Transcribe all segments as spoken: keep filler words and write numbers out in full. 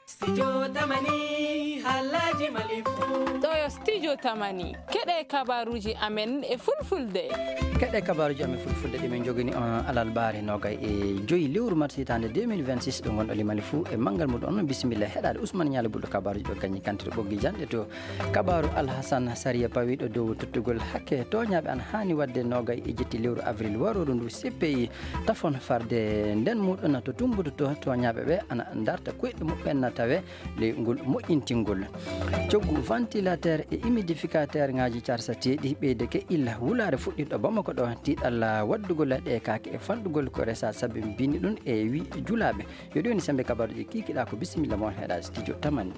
Studio Tamani, haalaaji Mali fuu. Ɗo yo Studio Tamani. Keɗe kabaruuji amen e fulfulde. Keɗe kabaruuji amen fulfulde ɗi min njogini on alarbaare noogay e joyi lewru mars hitaande deux mille vingt-six, ɗo ngonɗo Mali fuu e manngal muɗum on. Bisimilla heɗaade Ousmane Ñaali Bulɗo kabaruuji ɗo gañi kantude ɓoggi janɗe to. Kabaaru Alhasan Sariya pawiiɗo dow tottugol hakke tooñaaɓe ana haani waɗde noogay e jetti lewru avril warooru ndu C P I tafon farde nden muɗum to tumbutu to tooñaaɓe ɓe ana darta koyɗe muɓɓen na tawe ley ngol moƴƴintingol. Coggu ventilateur e humidificateur ŋaaji carsateeɗi ɓeydeke illa wulaare fuɗɗiiɗo Bamako ɗo tiiɗalla waɗdugol ɗe kaake e fanɗugol ko resa sabi mbindi ɗum e wi julaaɓe. Yo ɗi woni sembe kabaruuji kiikiɗa ko bisimilla mo on heɗa studio Tamani.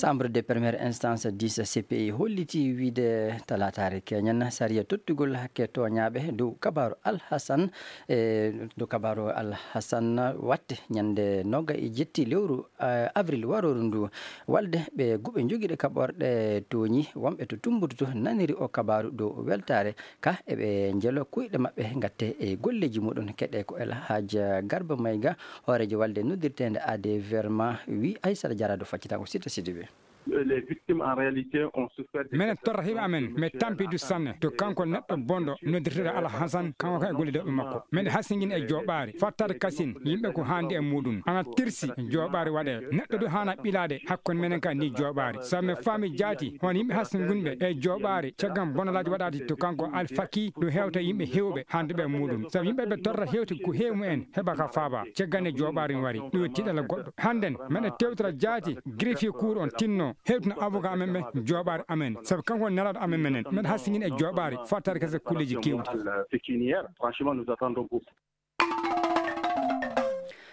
Chambre de première instance dix C P I holliti wiide talaataare keñen sariya tottugol hakke tooñaaɓe dow kabaaru Alhasan, e dow kabaaru Alhasan watte ñande noga e jetti lewru, eh, avril warooru ndu. Walde ɓe guɓe jogiiɗe kaɓorɗe tooñi wonɓe to Tumbutu to naniri o kabaaru dow weltaare ka eɓe njelo kuyɗe maɓɓe gatte e golleeji muɗum. Keɗe ko El Hadj Garba Mayga, hooreejo walde noddirteende A D Verma, wi Aysata Jara dow faccitango Sita Sidibe. Les victimes, en réalité, ont souffert de minen torra hiɓe amen, mi tampi du sanne to kanko neɗɗo bonɗo noddirteɗo Alhasan, kanko kan e gollidooɓe makko. Minen hasingin e jooɓaari, fattaade kasin, yimɓe ko haandi e muɗum. Ana tirsi jooɓaari waɗe. Neɗɗo du haana ɓilaade hakkunde minen ka ni jooɓaari. Sabu mi faami jaati, hono yimɓe hasingunɓe e jooɓaari, caggal bonalaaji waɗaade to kanko Alfaki, ɗum hewta yimɓe hewɓe haanduɓe e muɗum. Sabu yimɓe ɓe torra hewti ko heewi mumen, heɓa ka faaba. Caggal nde jooɓaari mi wari, ɗum tiiɗalla goɗɗo. Hannden, meɗen tewtora jaati, greffier cour on tinno, hewtina avocat amen ɓe, jooɓaari amen. Sabu kanko woni nelaaɗo amen menen. Meɗen hasingin e jooɓaari, fattaade kese kulleeji keewɗi. Pécuniaire, franchement, nous attendons beaucoup.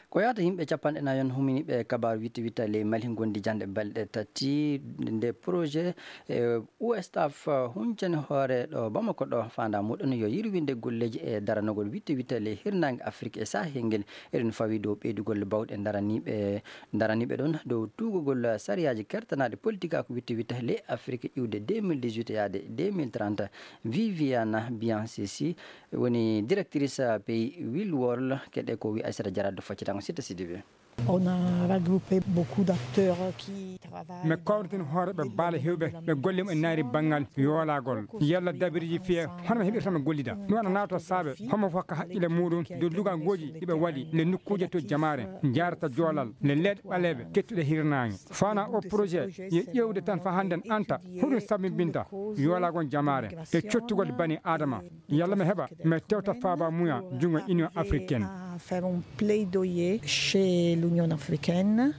Ko yahata yimɓe capanɗe nayon humini ɓe kabaru witte witta ley Mali gondi jande balɗe tati nde projet, eh, U S T A F huncani hoore ɗo Bamako ɗo fanda muɗum yo yirwinde golleeji e daranogol witte witta ley hirnaange Afrik e Sahel ngel. Eɗen fawi dow ɓeydugol bawɗe daraniiɓe, daraniiɓe ɗon dow tuugugol sariyaaji kertanaaɗi politika ko witte witta ley Afrik iwde deux mille dix-huit yaade deux mille trente. Viviana Biancesi woni directrice pays Will World, keɗe ko wi Aissata Diarra do faccitango Sita Sidibé. On a regroupé beaucoup d'acteurs qui travaillent. Mi kawritin hooreɓe baale hewɓe ɓe golle mum e naari banngal yoolagol. Yalla dabiriji fiye hono mi heɓirta mi gollida. Ɗum ana nato saabe homo fof ka haqqille muɗum dow lugal ngoji ɗiɓe waɗi le nokkuuje to jamaare jarata joolal le leeɗe ɓaleeɓe kettuɗe hirnaange. Fana o projet yo ƴeewde tan fa hannden anta hoɗum sabimbinta yoolagol jamaare e cottugol bani adama. Yalla mi heɓa mi tewta faaba muya junngo Union Africaine. Faire un plaidoyer chez l'Union Africaine.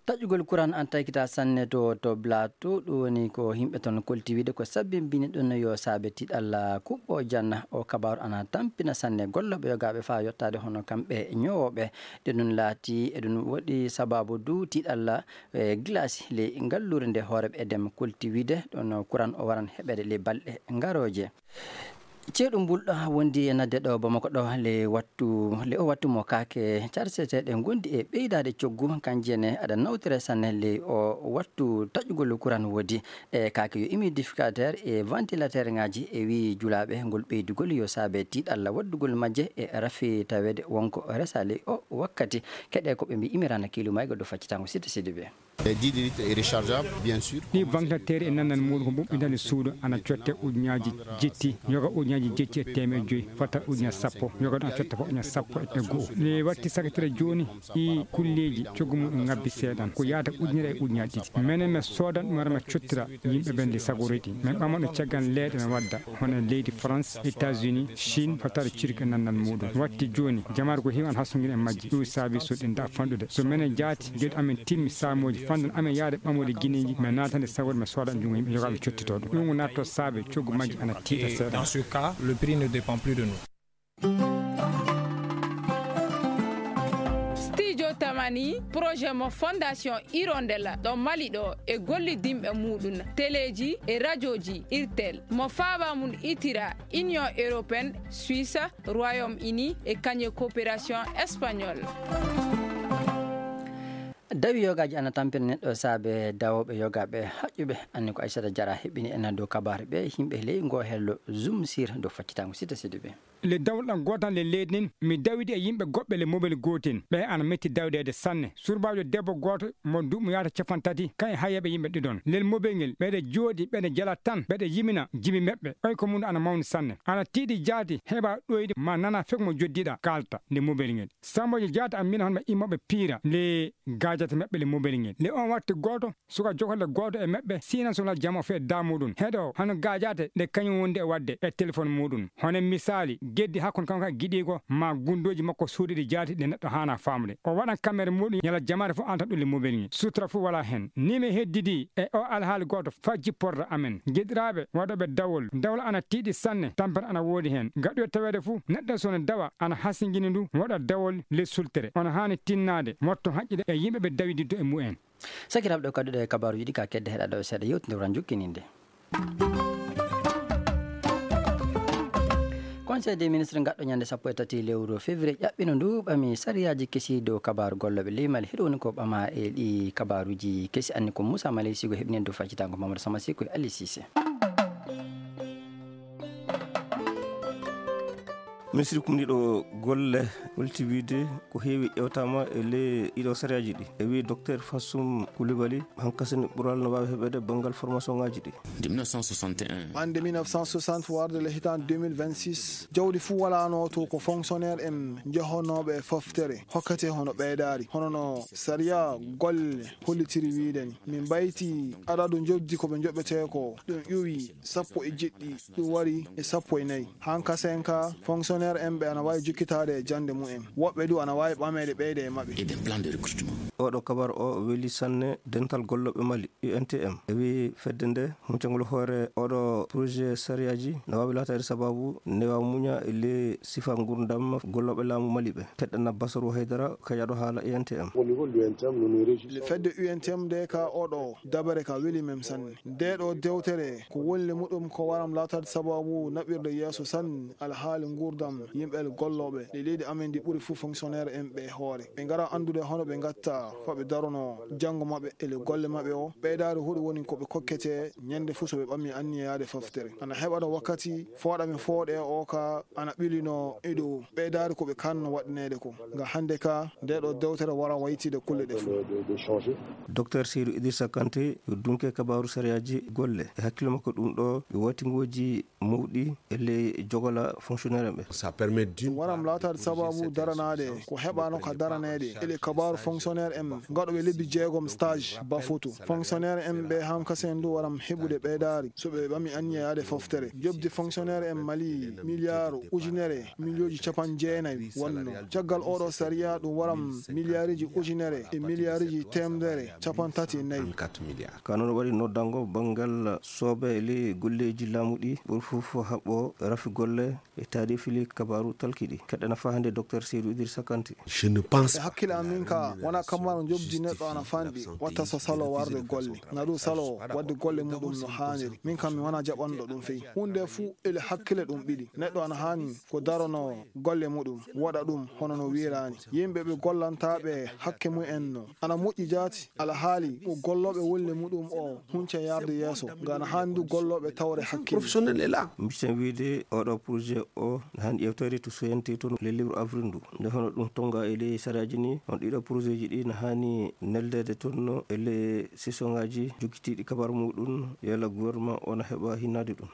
Taƴugol kuran an taykita sanne to, to Blato, ɗum woni ko yimɓe toon kolti wiide ko sabbin bini ɗum yo saabe tiɗalla kuɓɓo janna. O kabaaru ana tampina sanne gollooɓe yogaaɓe faa yottaade hono kamɓe ñoowooɓe. Ɗe ɗum laati e ɗum waɗi sabaabu du tiɗalla e glace ley ngalluure nde hooreeɓe Edem kolti wiide ɗum kuran o waran heɓeede ley balɗe ngarooje. Ceeɗu mbulɗo wondi e nadde ɗo Bamako ɗo le wattu, le o wattu mo kaake carseteeɗe ngondi e ɓeydaade coggu, kanji ene aɗa nawtire sanne le o wattu taƴugol kuran woodi. E kaake yo humidificateur e ventilateur ngaji e wi julaaɓe ngol ɓeydugol yo saabe tiiɗalla waddugol majje e rafi taweede wonko resa le o wakkati. Keɗe ko ɓe mbi imirana kiilu maygo do faccitango Sita Sidibé. Les dix litres est rechargeable, bien sûr. Ɗi ventilateur e nannal muɗum ko ɓuɓɓinande suudu ana cotte ujunnaaji jetti, yoga ujunnaaji jetti e teemeɗe joyi, fota ujunna sappo, yoga ɗon cotte fof ujunna sappo e go'o. Le watti sakitire jooni ɗi kulleeji coggu muɗum ngabbi seeɗan. Ko yaata ujunere e ujunnaaji ɗiɗi. Menen mi soodan ɗum ara mi cottira yimɓe ɓen ɗi sagoriji. Min ɓamano caggal leeɗe mi wadda. Hono leydi France, États-Unis, Chine, hotaare cirque nannal muɗum. Watti jooni, jamaare ko heewi ana hasungina e majji. Ɗum saabi so ɗi nda fanɗude. So menen jaati, geɗe amen timmi saamooji, fanɗan amen yaade ɓamooɗe gineeji, mi naatande sawol, mi sooda junngo yimɓe yogaaɓe cottitooɗo. Ɗum ko natto saabe coggu majji ana tiiɗa seeɗa. Dans ce cas, le prix ne dépend plus de nous. Studio Tamani, projet mo Fondation Hirondelle ɗo Mali ɗo e gollidinɓe muɗum, teleeji e rajooji Irtel, mo faaba mum itira Union Européenne, Suisse, Royaume-Uni e kañe coopération espagnole. Dawi yogaaji ana tampina neɗɗo saabe dawooɓe yogaaɓe haƴƴuɓe. Anni ko Aissata Diarra heɓɓini en dow kabaare ɓe yimɓe ley ngo hello Zoom sir dow faccitango Sita Sidibé. Le dawol ɗan gootan le leydi nin, mi dawidi e yimɓe goɓɓe le mobel gootin. Ɓe ana metti dawdeede sanne. Surbaajo debbo gooto mo duuɓi yaata capanɗe tati, kan e hayyeeɓe yimɓe ɗiɗon. Lel mobel ngel, ɓeɗe jooɗi, ɓeɗe jala tan, ɓeɗe yimina jimi meɓɓe. Oy ko mun ana mawni sanne. Ana tiiɗi jaati, heɓa ɗoyde ma nana fek mo joddiɗa kaalta nde mobel ngel. Samboji jaati a mina hon ɓe immoɓe piira le gaajata meɓɓe le mobel ngel. Le on watti gooto, suka jogolle gooto e meɓɓe, siina sona jamo fe da muɗum. Heɗo, hano gaajate ɗe kañum wonde e wadde e téléphone muɗum. Hono misaali, geddi hakkon kanko e giɗiigo, ma gunndooji makko suuɗiɗi jaati ɗe neɗɗo haana faamde. O waɗan kamere muɗum ñala jamaare fof anta ɗum le mobel ngel. Sutra fof wala hen. Ni mi heddidi e o alhaali gooto fa jipporta amen. Giɗiraaɓe waɗooɓe dawol, dawol ana tiiɗi sanne, tampere ana woodi hen. Gaɗoy taweede fof, neɗɗo sona dawa ana hasingini ndu, waɗa dawol le sultere. Ono haani tinnaade, motto haƴƴude e yimɓe ɓe dawididdo e mumen. Sakiraaɓe, ɗo kadduɗe e kabaaruuji ɗi ka kedde heɗaɗo e seeɗa yewtinde ran jokkininde. Conseil des ministres gaɗɗo ñande sappo e tati lewru février ƴaɓɓino ndu ɓami sariyaaji kesi dow kabaaru gollooɓe leymal. Hiɗo woni ko ɓama e ɗi kabaaruuji kesi, anni ko Moussa Maley Sigo heɓinen dow faccitango Mamadou Sama Siko e Ali Cissé. Ministre kumniiɗo golle holti wiide ko heewi ƴewtaama e ley ɗiɗo sariyaaji ɗi. E wii Docteur Fassum Coulibaly, hankasini ɓural no waawi heɓeede banngal formation ŋaaji ɗi. De mille neuf cent soixante et un. Hannde mille neuf cent soixante warde le hitaande deux mille vingt-six, jawdi fuu walaano to ko fonctionnaire en jehonooɓe e foftere hokkete hono ɓeydaari, hono no sariya golle hollitiri wiide ni. Min mbayti adadu njoɓdi ko ɓe njoɓetee ko ɗum ƴuwi sappo e jeɗɗi, ɗum wari e sappo e nayi. Hankasen ka fonctionnaire en ɓe ana waawi jokkitaade e jannde mumen. Woɓɓe du ana waawi ɓameede ɓeyde e maɓɓe. Et des plans de recrutement. Oɗo kabar o weli sanne dental gollooɓe Mali, U N T M. E wi fedde nde, huncangol hoore oɗo projet sariyaaji no waawi laataade sababu newa muña e le sifa ngurdam gollooɓe laamu Mali ɓe. Teɗɗana Basaru Haydara, kajaɗo haala U N T M. Au niveau de l'U N T M, nous nous réjouissons. Le fedde U N T M de ka oɗo dabare ka weli men sanne. Nde ɗo dewtere ko wonle muɗum ko waram laataade sababu naɓirde yeeso sanne alhaali ngurdam yimɓe gollooɓe ɗi leydi amen ndi ɓuri fuu fonctionnaire en ɓe hoore. Ɓe ngara anndude hono ɓe ngatta fa ɓe darono janngo maɓɓe e le golle maɓɓe o. Ɓeydaari huɗo woni ko ɓe kokkete ñande fuu so ɓe ɓammi anniya yaade foftere. Ana heɓa ɗo wakkati fooɗa mi fooɗe o ka ana ɓilino e dow ɓeydaari ko ɓe kanno waɗaneede ko. Nga hannde ka, nde ɗo dewtere wara waytide kulle ɗe fuu. Docteur Seydou Idrissa Kanté, dunke kabaaru sariyaaji golle. E hakkille makko ɗum ɗo, ɓe watingooji mawɗi e ley jogola fonctionnaire ɓe. Ça permet d'une Ɗum waram part laataade sababu daranaade ko heɓaano ka daraneede e le kabaaru fonctionnaire en gaɗooɓe lebbi jeegom stage bafotu. Fonctionnaire en ɓe hankasen du waram heɓude ɓeydaari so ɓe ɓami anniya yaade foftere. Jobdi fonctionnaire en Mali miliyaaru ujunere miliyooji capanɗe jeenayi wonno. Caggal oɗo sariya ɗum waram miliyaariji ujunere e miliyaariji teemedere capanɗe tati e nayi. Trente-quatre milliards. Ka noon waɗi noddango banngal soobe e ley golleeji laamu ɗi ɓuri fof haɓɓo rafi golle e taarifi ley kabaaru talkiɗi. Keɗɗana faa hannde Docteur Seydou Idrissa Kanté. Je ne pense E hakkille am min ka, wona kamaro jobdi neɗɗo ana fanɗi, watta so salo warde golle. Na ɗum salo waɗde golle muɗum no haaniri. Min kam mi wona jaɓanɗo ɗum fey. Huunde fuu ele hakkille ɗum ɓili. Neɗɗo ana haani ko darono golle muɗum, waɗa ɗum hono no wiiraani. Yimɓe ɓe gollantaaɓe hakke mumen no. Ana moƴƴi jaati, alhaali ko gollooɓe wolle muɗum o hunca yarde yeeso. Nga ana haani du gollooɓe tawre hakkille. Professionnel est là. Mbiɗen wiide oɗo projet o na haani ƴeewteede to C N T toon le libre avril ndu. Nde hono ɗum tonga e ley sariyaaji ni, on ɗiɗo projet ji ɗi na haani neldeede toon e ley session ŋaaji jokkitiiɗi kabar muɗum, yalla gouvernement o na heɓa hinnaade ɗum.